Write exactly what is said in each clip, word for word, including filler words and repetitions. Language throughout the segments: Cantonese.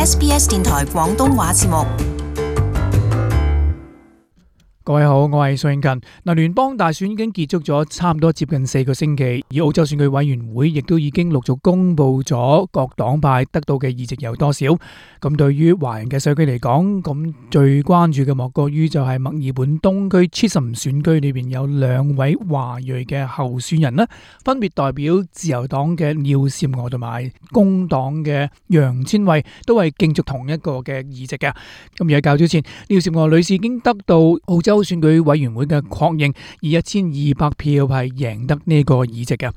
S B S 電台廣東話節目。各位好，我係蘇永勤。嗱，聯邦大選已經結束咗差唔多接近四個星期，而澳洲選舉委員會亦都已經陸續公布咗各黨派得到嘅議席有多少。咁對於華人嘅社區嚟講，咁最關注嘅莫過於就係墨爾本東區 Chisholm 選區裏邊有兩位華裔嘅候選人啦，分別代表自由黨嘅廖善娥同埋工黨嘅楊千惠，都係競逐同一個嘅議席嘅。咁而喺較早前，廖善娥女士已經得到澳洲選舉委員會嘅確認，以一千二百票係贏得呢個議席嘅。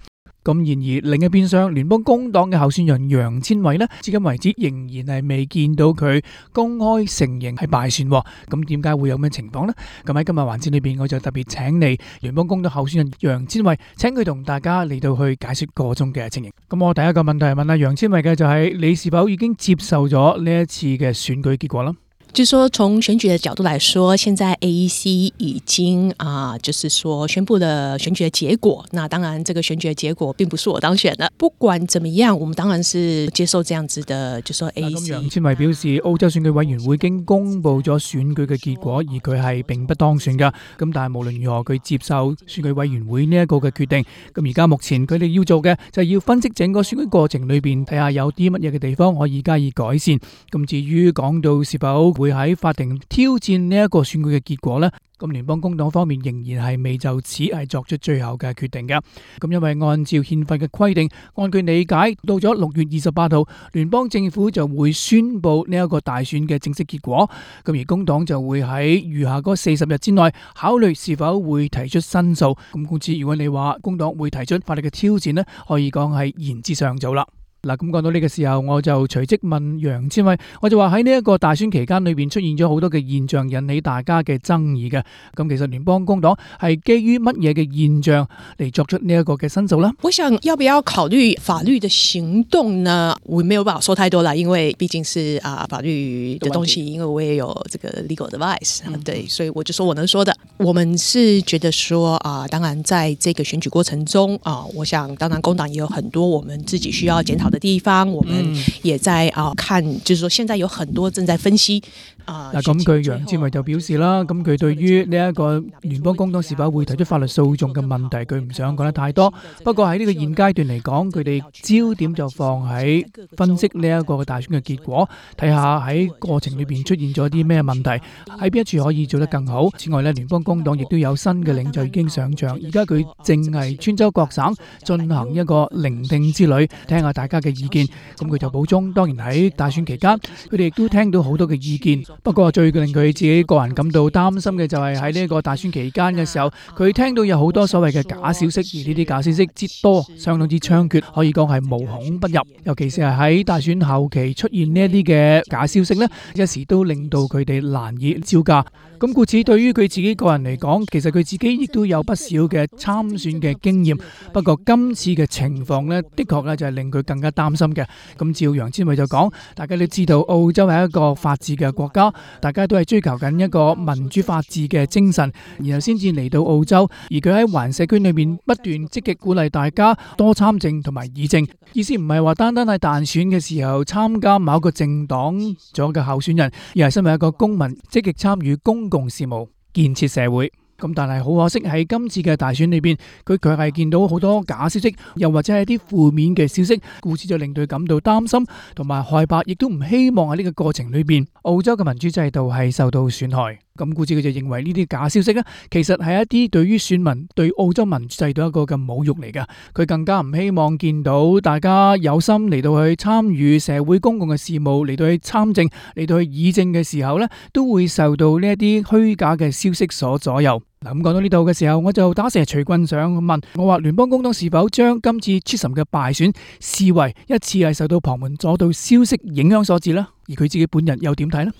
咁然而另一邊廂，聯邦工黨嘅候選人楊千惠呢，至今為止仍然係未見到佢公開承認係敗選。咁點解會有咩情況呢？咁喺今日環節裏邊，我就特別請嚟聯邦工黨候選人楊千惠，請佢同大家嚟到去解說個中嘅情形。咁我第一個問題係問阿楊千惠嘅就係、是，你是否已經接受咗呢一次嘅選舉結果啦？就說從選舉的角度來說，現在 A E C 已經啊、呃，就是說宣布了選舉的結果。那當然，這個選舉的結果並不是我當選的。不管怎麼樣，我們當然是接受這樣子的，就說 A E C。楊千惠表示，澳洲選舉委員會已經公布咗選舉嘅結果，而佢係並不當選噶。咁但係無論如何，佢接受選舉委員會呢一個嘅決定。咁而家目前佢哋要做嘅就係要分析整個選舉過程裏邊，睇下有啲乜嘢嘅地方可以加以改善。咁至於講到是否會喺法庭挑戰呢一個選舉嘅結果呢，咁聯邦工黨方面仍然係未就此係作出最後嘅決定嘅。咁因為按照憲法嘅規定，按佢理解，到咗六月二十八號，聯邦政府就會宣布呢一個大選嘅正式結果。咁而工黨就會喺餘下嗰四十日之內考慮是否會提出申訴。咁故此，如果你話工黨會提出法律嘅挑戰呢，可以講係言之尚早啦。嗱，咁講到呢個時候，我就隨即問楊千惠，我就話喺呢一個大選期間裏邊出現咗好多嘅現象，引起大家嘅爭議嘅。咁其實聯邦工黨係基於乜嘢嘅現象嚟作出呢一個嘅申訴呢？我想要不要考慮法律的行動呢？我沒有辦法說太多啦，因為畢竟是啊法律的東西，因為我也有這個 legal advice，嗯，對，所以我就說我能說的。我們是覺得說啊，當然在這個選舉過程中啊，我想當然工黨也有很多我們自己需要檢討的地方，我們也在啊看，就是說現在有很多正在分析啊。嗱，咁佢楊千惠就表示啦，咁佢對於呢一個聯邦工黨是否會提出法律訴訟嘅問題，佢唔想講得太多。不過喺呢個現階段嚟講，佢哋焦點就放喺分析呢一個大選嘅結果，睇下喺過程裏邊出現咗啲咩問題，喺邊一處可以做得更好。此外呢，聯邦工黨亦都有新嘅領袖已經上場，而家佢正係穿州各省進行一個聆聽之旅，聽下大家嘅意見。咁佢就補充，當然喺大選期間，佢哋亦都聽到好多嘅意見。不過最令佢自己個人感到擔心嘅就係喺呢一個大選期間嘅時候，佢聽到有好多所謂嘅假消息，而呢啲假消息之多，相當之猖獗，可以講係無孔不入。尤其是係喺大選後期出現呢一啲嘅假消息呢，一時都令到佢哋難以招架。咁故此，對於佢自己個人嚟講，其實佢自己亦都有不少嘅參選嘅經驗。不過今次嘅情況呢，的確咧就係令佢更加擔心嘅。咁照楊千惠就講，大家都知道澳洲係一個法治嘅國家，大家都係追求緊一個民主法治嘅精神，然後先至嚟到澳洲。而佢喺華人社區裏面不斷積極鼓勵大家多參政同埋議政，意思唔係話單單係大選嘅時候參加某一個政黨咗嘅候選人，而係身為一個公民積極參與公共事務，建設社會。咁但係好可惜喺今次嘅大選裏邊，佢卻係見到好多假消息，又或者係啲負面嘅消息，故此就令佢感到擔心同埋害怕，亦都唔希望喺呢個過程裏邊澳洲嘅民主制度係受到損害。咁故此佢就認為呢啲假消息呢，其實係一啲對於選民對澳洲民主制度一個嘅侮辱嚟㗎。佢更加唔希望見到大家有心嚟到去參與社會公共嘅事務，嚟到去參政，嚟到去議政嘅時候呢，都會受到呢一啲虛假嘅消息所左右。嗱，咁講到呢度嘅時候，我就打蛇隨棍上問我話，聯邦工黨是否將今次 Chisholm 嘅敗選視為一次係受到旁門左道消息影響所致呢？而佢自己本人又點睇呢？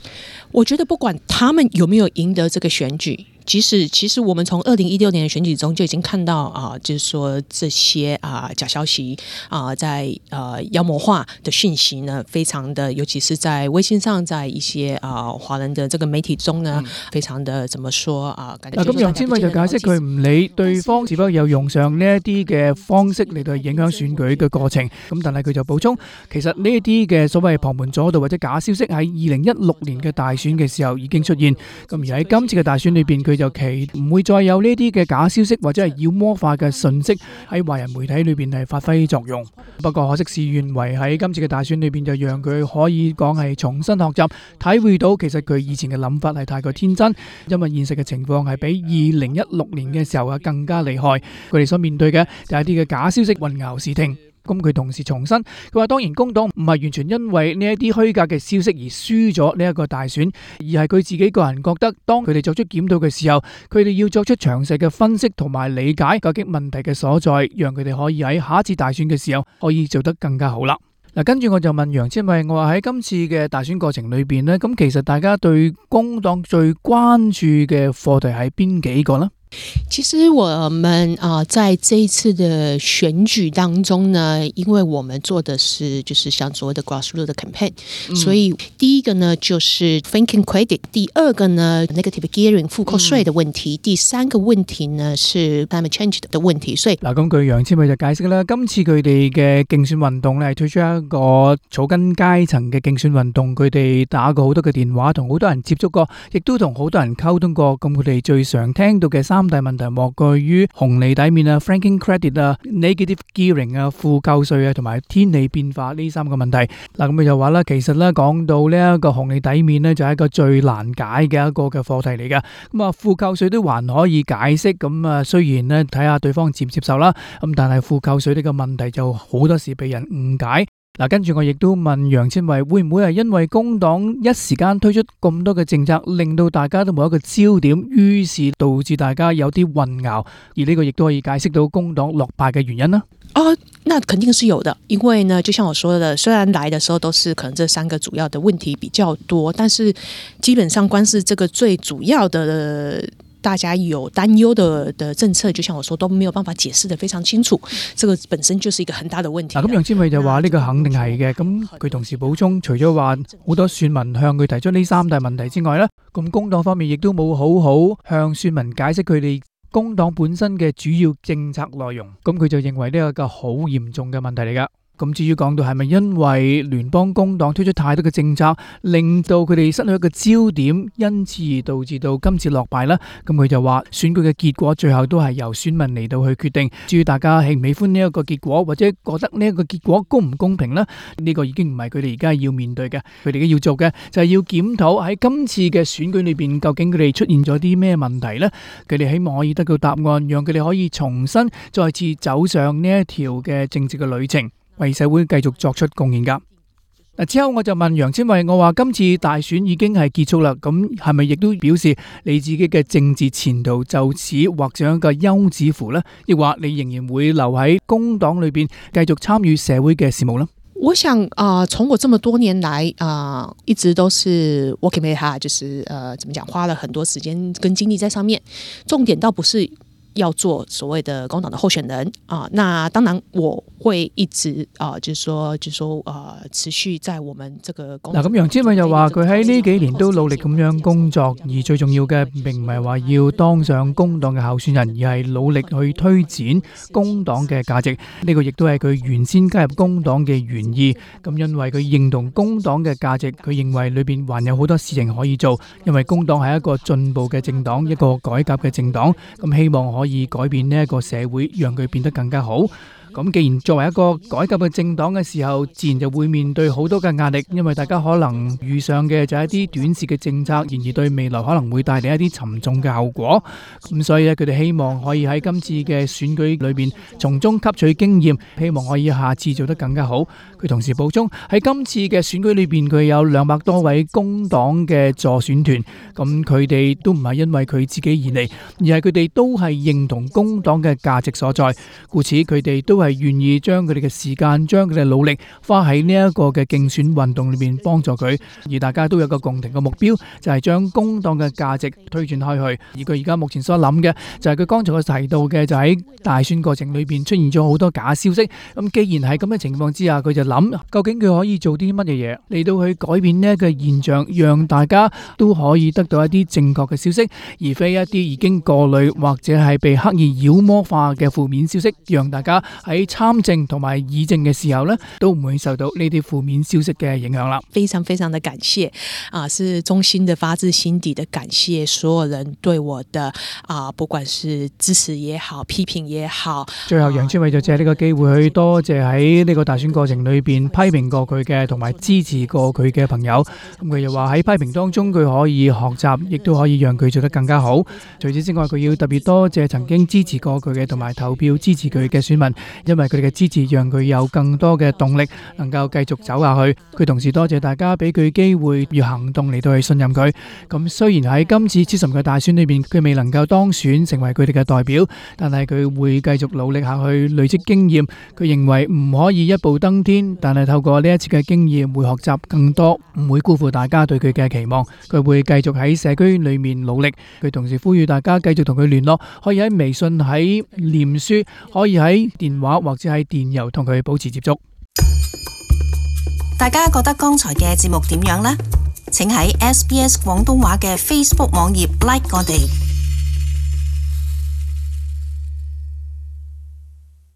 我覺得不管他們有沒有贏得這個選舉，即使其實我們從二零一六年的選舉中就已經看到啊、呃，就是說這些啊、呃、假消息啊、呃，在呃妖魔化的訊息呢，非常的，尤其是在微信上，在一些啊、呃、華人的這個媒體中呢，嗯、非常的怎麼說啊？嗱，咁楊千卉就解釋佢唔理對方是否有用上呢一啲嘅方式嚟到影響選舉嘅過程，咁但係佢就補充，其實呢一啲嘅所謂旁門左道或者假消息喺二零一六年嘅大選嘅時候已經出現，咁而喺今次嘅大選裏邊，佢就期唔會再有呢啲嘅假消息或者係妖魔化嘅信息喺華人媒體裏邊係發揮作用。不過可惜事與願違，喺今次嘅大選裏邊就讓佢可以講係重新學習，體會到其實佢以前嘅諗法係太過天真，因為現實嘅情況係比二零一六年嘅時候啊更加厲害。佢哋所面對嘅就係一啲嘅假消息混淆視聽。咁佢同時重申，佢話當然工黨唔係完全因為呢一啲虛假嘅消息而輸咗呢一個大選，而係佢自己個人覺得，當佢哋作出檢討嘅時候，佢哋要作出詳細嘅分析同埋理解究竟問題嘅所在，讓佢哋可以喺下一次大選嘅時候可以做得更加好啦。嗱，跟住我就問楊千卉，我話喺今次嘅大選過程裏邊呢，咁其實大家對工黨最關注嘅課題係邊幾個呢？其實我們啊、呃，在這一次的選舉當中呢，因為我們做的是就是像所謂的 grassroots 的 campaign，、嗯、所以第一個呢就是 franking credit， 第二個呢 negative gearing 負扣稅的問題、嗯，第三個問題呢是 climate change 的問題。所以嗱，咁據楊千卉就解釋啦，今次佢哋嘅競選運動咧係推出一個草根階層嘅競選運動，佢哋打過好多嘅電話，同好多人接觸過，亦都同好多人溝通過。咁佢哋最常聽到嘅三大問題莫過於紅利抵免啊、franking credit 啊、negative gearing 啊、負扣稅啊，同埋天氣變化呢三個問題。嗱，咁佢就話啦，其實咧講到呢一個紅利抵免咧，就係一個最難解嘅一個嘅課題嚟㗎。咁啊，負扣稅都還可以解釋，咁啊雖然咧睇下對方接唔接受啦，咁但係負扣稅呢個問題就好多時被人誤解。嗱，跟住我亦都問楊千卉，會唔會係因為工黨一時間推出咁多嘅政策，令到大家都冇一個焦點，於是導致大家有啲混淆，而呢個亦都可以解釋到工黨落敗嘅原因呢？哦，那肯定是有的，因為呢，就像我說的，雖然來的時候都是可能這三個主要的問題比較多，但是基本上光是這個最主要的大家有擔憂的的政策，就像我說都沒有辦法解釋得非常清楚，這個本身就是一個很大的問題。嗱，咁楊千卉就話呢個肯定係嘅，咁佢同時補充，除咗話好多選民向佢提出呢三大問題之外呢，咁工黨方面亦都冇好好向選民解釋佢哋工黨本身嘅主要政策內容，咁佢就認為呢個個好嚴重嘅問題嚟噶。咁至於講到係咪因為聯邦工黨推出太多嘅政策，令到佢哋失去一個焦點，因此而導致到今次落敗呢？咁佢就話選舉嘅結果最後都係由選民嚟到去決定。至於大家喜唔喜歡呢一個結果，或者覺得呢一個結果公唔公平呢？呢、呢個已經唔係佢哋而家要面對嘅，佢哋要做嘅就係要檢討喺今次嘅選舉裏邊，究竟佢哋出現咗啲咩問題呢？佢哋希望可以得到答案，讓佢哋可以重新再次走上呢一條嘅政治嘅旅程，為社會繼續作出貢獻噶。嗱，之後我就問楊千卉，我話今次大選已經係結束啦，咁係咪亦都表示你自己嘅政治前途就此畫上一個休止符呢？亦或你仍然會留喺工黨裏邊繼續參與社會嘅事務呢？我想啊、呃，從我這麼多年來啊、呃，一直都是 working very hard，就是呃，怎麼講，花了很多時間跟精力在上面。重點倒不是要做所謂的工黨的候選人啊，那當然我會一直啊，就是說，就是說啊，持續在我們這個工。嗱，咁楊千卉就話佢喺呢幾年都努力咁樣工作，而最重要嘅並唔係話要當上工黨嘅候選人，而係努力去推展工黨嘅價值。呢個亦都係佢原先加入工黨嘅原意。咁因為佢認同工黨嘅價值，佢認為裏邊還有好多事情可以做。因為工黨係一個進步嘅政黨，一個改革嘅政黨，咁希望可以。可以改變呢一個社會，讓佢變得更加好。咁既然作為一個改革嘅政黨嘅時候，自然就會面對好多嘅壓力，因為大家可能遇上嘅就係一啲短視嘅政策，然而對未來可能會帶嚟一啲沉重嘅後果。咁所以咧，佢哋希望可以喺今次嘅選舉裏邊從中吸取經驗，希望可以下次做得更加好。佢同時補充喺今次嘅選舉裏邊，佢有兩百多位工黨嘅助選團，咁佢哋都唔係因為佢自己而嚟，而係佢哋都係認同工黨嘅價值所在，故此佢哋都係係願意將佢哋嘅時間、將佢哋嘅努力花喺呢一個嘅競選運動裏面幫助佢，而大家都有個共同嘅目標，就係將工黨嘅價值推進開去。而佢而家目前所諗嘅就係佢剛才我提到嘅，就喺大選過程裏邊出現咗好多假消息。咁既然係咁嘅情況之下，佢就諗究竟佢可以做啲乜嘢嘢嚟到去改變呢一個現象，讓大家都可以得到一啲正確嘅消息，而非一啲已經過濾或者係被刻意妖魔化嘅負面消息，讓大家喺參政同埋議政嘅時候呢，都唔會受到呢啲負面消息嘅影響啦。非常非常的感謝啊，是衷心的發自心底的感謝所有人對我的啊，不管是支持也好，批評也好。最後楊千卉就借呢個機會去多謝喺呢個大選過程裏邊批評過佢嘅同埋支持過佢嘅朋友。咁佢又話喺批評當中佢可以學習，亦都可以讓佢做得更加好。除此之外，佢要特別多謝曾經支持過佢嘅同埋投票支持佢嘅選民，因為佢哋嘅支持讓佢有更多嘅動力能夠繼續走下去。佢同時多謝大家俾佢機會要行動嚟到去信任佢。咁雖然喺今次七十嘅大選裏邊佢未能夠當選成為佢哋嘅代表，但係佢會繼續努力下去累積經驗。佢認為唔可以一步登天，但係透過呢一次嘅經驗會學習更多，唔會辜負大家對佢嘅期望。佢會繼續喺社區裏面努力。佢同時呼籲大家繼續同佢聯絡，可以喺微信、喺臉書，可以喺電話或者喺電郵同佢保持接觸。大家覺得剛才嘅節目點樣呢？請喺 S B S 廣東話嘅 Facebook 網頁 like 我哋。